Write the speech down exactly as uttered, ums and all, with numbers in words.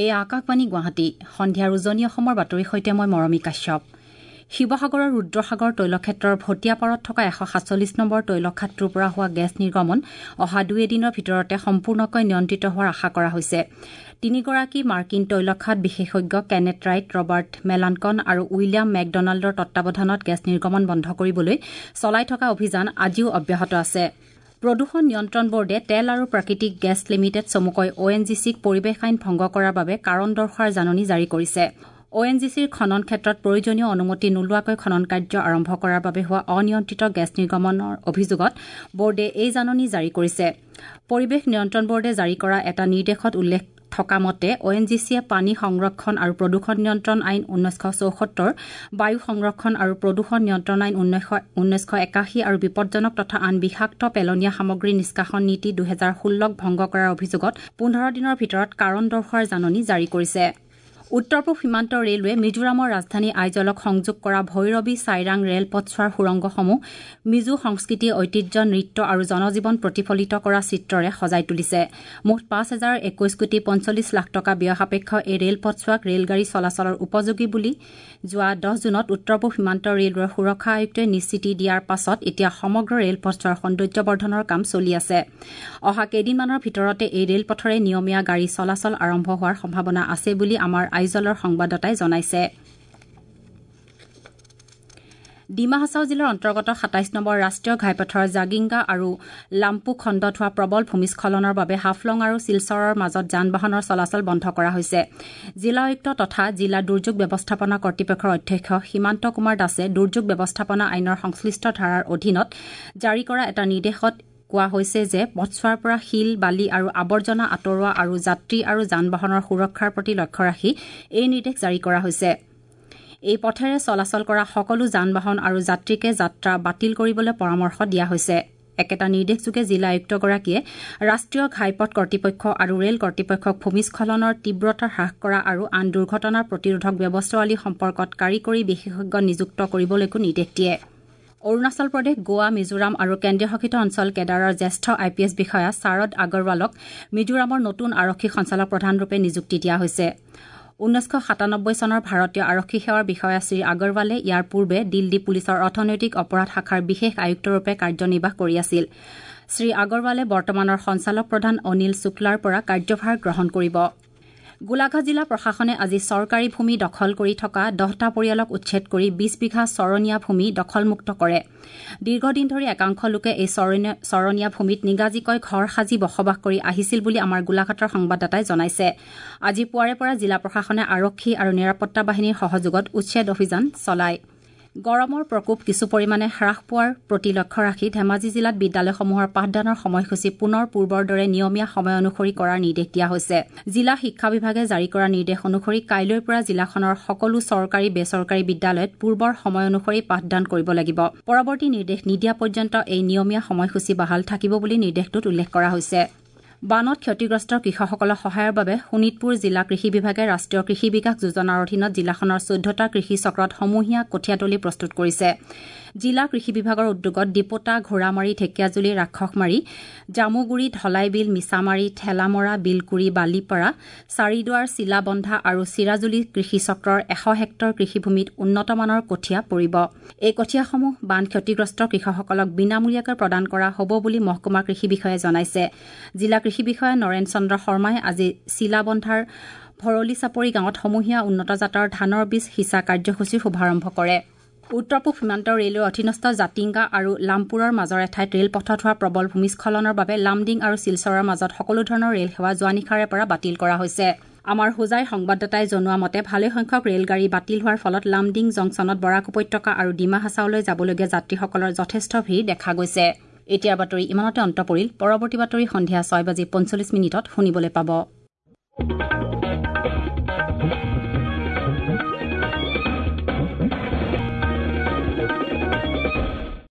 এই আকাশবাণী গুৱাহাটী সন্ধিয়াৰ উজনি অসমৰ বাতৰিৰ সৈতে মই মৰমী কাশ্যপ। শিৱসাগৰৰ ৰুদ্ৰসাগৰ তৈলক্ষেত্ৰৰ ভটিয়াপাৰত থকা এশ সাতচল্লিছ নম্বৰ তৈলখাদটোৰ পৰা হোৱা গেছ নিৰ্গমন অহা দুই এদিনৰ ভিতৰতে সম্পূৰ্ণকৈ নিয়ন্ত্ৰিত হোৱাৰ আশা কৰা হৈছে। তিনিগৰাকী মাৰ্কিন তৈলখাদ বিশেষজ্ঞ কেনেথ ৰাইট, ৰবাৰ্ট মেলানকন আৰু উইলিয়াম মেকডনাল্ডৰ তত্বাৱধানত গেছ নিৰ্গমন বন্ধ কৰিবলৈ চলাই থকা অভিযান আজিও অব্যাহত আছে। প্ৰদূষণ নিয়ন্ত্ৰণ বৰ্ডে তেল আৰু প্ৰাকৃতিক গেছ লিমিটেড চমুকৈ অ এন জি চিক পৰিৱেশ আইন ভংগ কৰাৰ বাবে কাৰণ দৰ্শোৱাৰ জাননী জাৰি কৰিছে। অ এন জি চিৰ খনন ক্ষেত্ৰত প্ৰয়োজনীয় অনুমতি নোলোৱাকৈ খনন কাৰ্য আৰম্ভ কৰাৰ বাবে হোৱা অনিয়ন্ত্ৰিত গেছ নিৰ্গমনৰ অভিযোগত বৰ্ডে এই জাননী জাৰি কৰিছে। পৰিৱেশ নিয়ন্ত্ৰণ বৰ্ডে জাৰি কৰা এটা নিৰ্দেশত উল্লেখ থকা মতে অ এন জি চিয়ে পানী সংৰক্ষণ আৰু প্ৰদূষণ নিয়ন্ত্ৰণ আইন ঊনৈছশ চৌসত্তৰ, বায়ু সংৰক্ষণ আৰু প্ৰদূষণ নিয়ন্ত্ৰণ আইন ঊনৈছশ একাশী আৰু বিপদজনক তথা আন বিষাক্ত পেলনীয়া সামগ্ৰী নিষ্কাশন নীতি দুহেজাৰ ষোল্লক ভংগ কৰাৰ অভিযোগত পোন্ধৰ দিনৰ ভিতৰত কাৰণ দৰ্শোৱাৰ জাননী জাৰি কৰিছে। উত্তৰ পূব সীমান্ত ৰেলৱে মিজোৰামৰ ৰাজধানী আইজলক সংযোগ কৰা ভৈৰৱী চাইৰাং ৰেলপথছোৱাৰ সুৰংগসমূহ মিজো সংস্কৃতি, ঐতিহ্য, নৃত্য আৰু জনজীৱন প্ৰতিফলিত কৰা চিত্ৰৰে সজাই তুলিছে। মুঠ পাঁচ হাজাৰ একৈশ কোটি পঞ্চল্লিছ লাখ টকা ব্যয় সাপেক্ষ এই ৰেলপথছোৱাক ৰেলগাড়ী চলাচলৰ উপযোগী বুলি যোৱা দহ জুনত উত্তৰ পূব সীমান্ত ৰেলৱেৰ সুৰক্ষা আয়ুক্তই নিশ্চিতি দিয়াৰ পাছত এতিয়া সমগ্ৰ ৰেলপথছোৱাৰ সৌন্দৰ্যবৰ্ধনৰ কাম চলি আছে। অহা কেইদিনমানৰ ভিতৰতে এই ৰেলপথৰে নিয়মীয়া গাড়ী চলাচল আৰম্ভ হোৱাৰ সম্ভাৱনা আছে বুলি আমাৰ আইজলৰ সংবাদদাতাই জনাইছে। ডিমা হাছাও জিলাৰ অন্তৰ্গত সাতাইছ নম্বৰ ৰাষ্ট্ৰীয় ঘাইপথৰ জাগিংগা আৰু লাম্পু খণ্ডত হোৱা প্ৰবল ভূমিস্খলনৰ বাবে হাফলং আৰু শিলচৰৰ মাজত যান বাহনৰ চলাচল বন্ধ কৰা হৈছে। জিলা আয়ুক্ত তথা জিলা দুৰ্যোগ ব্যৱস্থাপনা কৰ্তৃপক্ষৰ অধ্যক্ষ সীমান্ত কুমাৰ দাসে দুৰ্যোগ ব্যৱস্থাপনা আইনৰ সংশ্লিষ্ট ধাৰাৰ অধীনত জাৰি কৰা এটা নিৰ্দেশত কোৱা হৈছে যে পথছোৱাৰ পৰা শিল, বালি আৰু আৱৰ্জনা আঁতৰোৱা আৰু যাত্ৰী আৰু যান বাহনৰ সুৰক্ষাৰ প্ৰতি লক্ষ্য ৰাখি এই নিৰ্দেশ জাৰি কৰা হৈছে। এই পথেৰে চলাচল কৰা সকলো যান বাহন আৰু যাত্ৰীকে যাত্ৰা বাতিল কৰিবলৈ পৰামৰ্শ দিয়া হৈছে। একেটা নিৰ্দেশযোগে জিলা আয়ুক্তগৰাকীয়ে ৰাষ্ট্ৰীয় ঘাইপথ কৰ্তৃপক্ষ আৰু ৰেল কৰ্তৃপক্ষক ভূমিস্খলনৰ তীব্ৰতা হ্ৰাস কৰা আৰু আন দুৰ্ঘটনা প্ৰতিৰোধক ব্যৱস্থাৱলী সম্পৰ্কত কাৰিকৰী বিশেষজ্ঞ নিযুক্ত কৰিবলৈকো নিৰ্দেশ দিয়ে। অৰুণাচল প্ৰদেশ, গোৱা, মিজোৰাম আৰু কেন্দ্ৰীয়শাসিত অঞ্চল কেডাৰৰ জ্যেষ্ঠ আই পি এছ বিষয়া শাৰদ আগৰৱালক মিজোৰামৰ নতুন আৰক্ষী সঞ্চালক প্ৰধানৰূপে নিযুক্তি দিয়া হৈছে। ঊনৈছশ সাতানব্বৈ চনৰ ভাৰতীয় আৰক্ষী সেৱাৰ বিষয়া শ্ৰী আগৰৱালে ইয়াৰ পূৰ্বে দিল্লী পুলিচৰ অৰ্থনৈতিক অপৰাধ শাখাৰ বিশেষ আয়ুক্তৰূপে কাৰ্যনিৰ্বাহ কৰি আছিল। শ্ৰী আগৰৱালে বৰ্তমানৰ সঞ্চালক প্ৰধান অনিল শুক্লাৰ পৰা কাৰ্যভাৰ গ্ৰহণ কৰিব। গোলাঘাট জিলা প্ৰশাসনে আজি চৰকাৰী ভূমি দখল কৰি থকা দহটা পৰিয়ালক উচ্ছেদ কৰি বিশ বিঘা চৰণীয়া ভূমি দখলমুক্ত কৰে। দীৰ্ঘদিন ধৰি একাংশ লোকে এই চৰণীয়া ভূমিত নিগাজিকৈ ঘৰ সাজি বসবাস কৰি আহিছিল বুলি আমাৰ গোলাঘাটৰ সংবাদদাতাই জনাইছে। আজি পুৱাৰে পৰা জিলা প্ৰশাসনে আৰক্ষী আৰু নিৰাপত্তা বাহিনীৰ সহযোগত উচ্ছেদ অভিযান চলায়। গৰমৰ প্ৰকোপ কিছু পৰিমাণে হ্ৰাস পোৱাৰ প্ৰতি লক্ষ্য ৰাখি ধেমাজি জিলাত বিদ্যালয়সমূহৰ পাঠদানৰ সময়সূচী পুনৰ পূৰ্বৰ দৰে নিয়মীয়া সময় অনুসৰি কৰাৰ নিৰ্দেশ দিয়া হৈছে। জিলা শিক্ষা বিভাগে জাৰি কৰা নিৰ্দেশ অনুসৰি কাইলৈৰ পৰা জিলাখনৰ সকলো চৰকাৰী বেচৰকাৰী বিদ্যালয়ত পূৰ্বৰ সময় অনুসৰি পাঠদান কৰিব লাগিব। পৰৱৰ্তী নিৰ্দেশ নিদিয়া পৰ্যন্ত এই নিয়মীয়া সময়সূচী বাহাল থাকিব বুলি নিৰ্দেশটোত উল্লেখ কৰা হৈছে। বানত ক্ষতিগ্ৰস্ত কৃষকসকলৰ সহায়ৰ বাবে শোণিতপুৰ জিলা কৃষি বিভাগে ৰাষ্ট্ৰীয় কৃষি বিকাশ যোজনাৰ অধীনত জিলাখনৰ চৈধ্যটা কৃষি চক্ৰত সমূহীয়া কঠীয়াতলী প্ৰস্তুত কৰিছে। জিলা কৃষি বিভাগৰ উদ্যোগত ডিপোটা, ঘোঁৰামাৰী, ঢেকীয়াজুলি, ৰাক্ষসমাৰী, জামুগুৰি, ধলাইবিল, মিছামাৰী, ঠেলামৰা, বিলকুৰি, বালিপাৰা, চাৰিদুৱাৰ, চিলাবন্ধা আৰু চিৰাজুলি কৃষি চক্ৰৰ এশ হেক্টৰ কৃষিভূমিত উন্নতমানৰ কঠীয়া পৰিব। এই কঠীয়াসমূহ বান ক্ষতিগ্ৰস্ত কৃষকসকলক বিনামূলীয়াকৈ প্ৰদান কৰা হ'ব বুলি মহকুমা কৃষি বিষয়াই জনাইছে। জিলা কৃষি বিষয়া নৰেন চন্দ্ৰ শৰ্মাই আজি চিলাবন্ধাৰ ভৰলী চাপৰি গাঁৱত সমূহীয়া উন্নত জাতৰ ধানৰ বীজ সিঁচা কাৰ্যসূচীৰ শুভাৰম্ভ কৰে। উত্তৰ পূব সীমান্ত ৰেলৱেৰ অধীনস্থ জাতিংগা আৰু লামপুৰৰ মাজৰ এঠাইত ৰেলপথত হোৱা প্ৰবল ভূমিস্খলনৰ বাবে লামডিং আৰু শিলচৰৰ মাজত সকলো ধৰণৰ ৰেল সেৱা যোৱা নিশাৰে পৰা বাতিল কৰা হৈছে। আমাৰ হোজাইৰ সংবাদদাতাই জনোৱা মতে ভালেসংখ্যক ৰেলগাড়ী বাতিল হোৱাৰ ফলত লামডিং জংচনত বৰাক উপত্যকা আৰু ডিমা হাছাওলৈ যাবলগীয়া যাত্ৰীসকলৰ যথেষ্ট ভিৰ দেখা গৈছে। এতিয়াৰ বাতৰি ইমানতে অন্ত পৰিল। পৰৱৰ্তী বাতৰি সন্ধিয়া ছয় বাজি পঞ্চল্লিছ মিনিটত শুনিবলৈ পাব।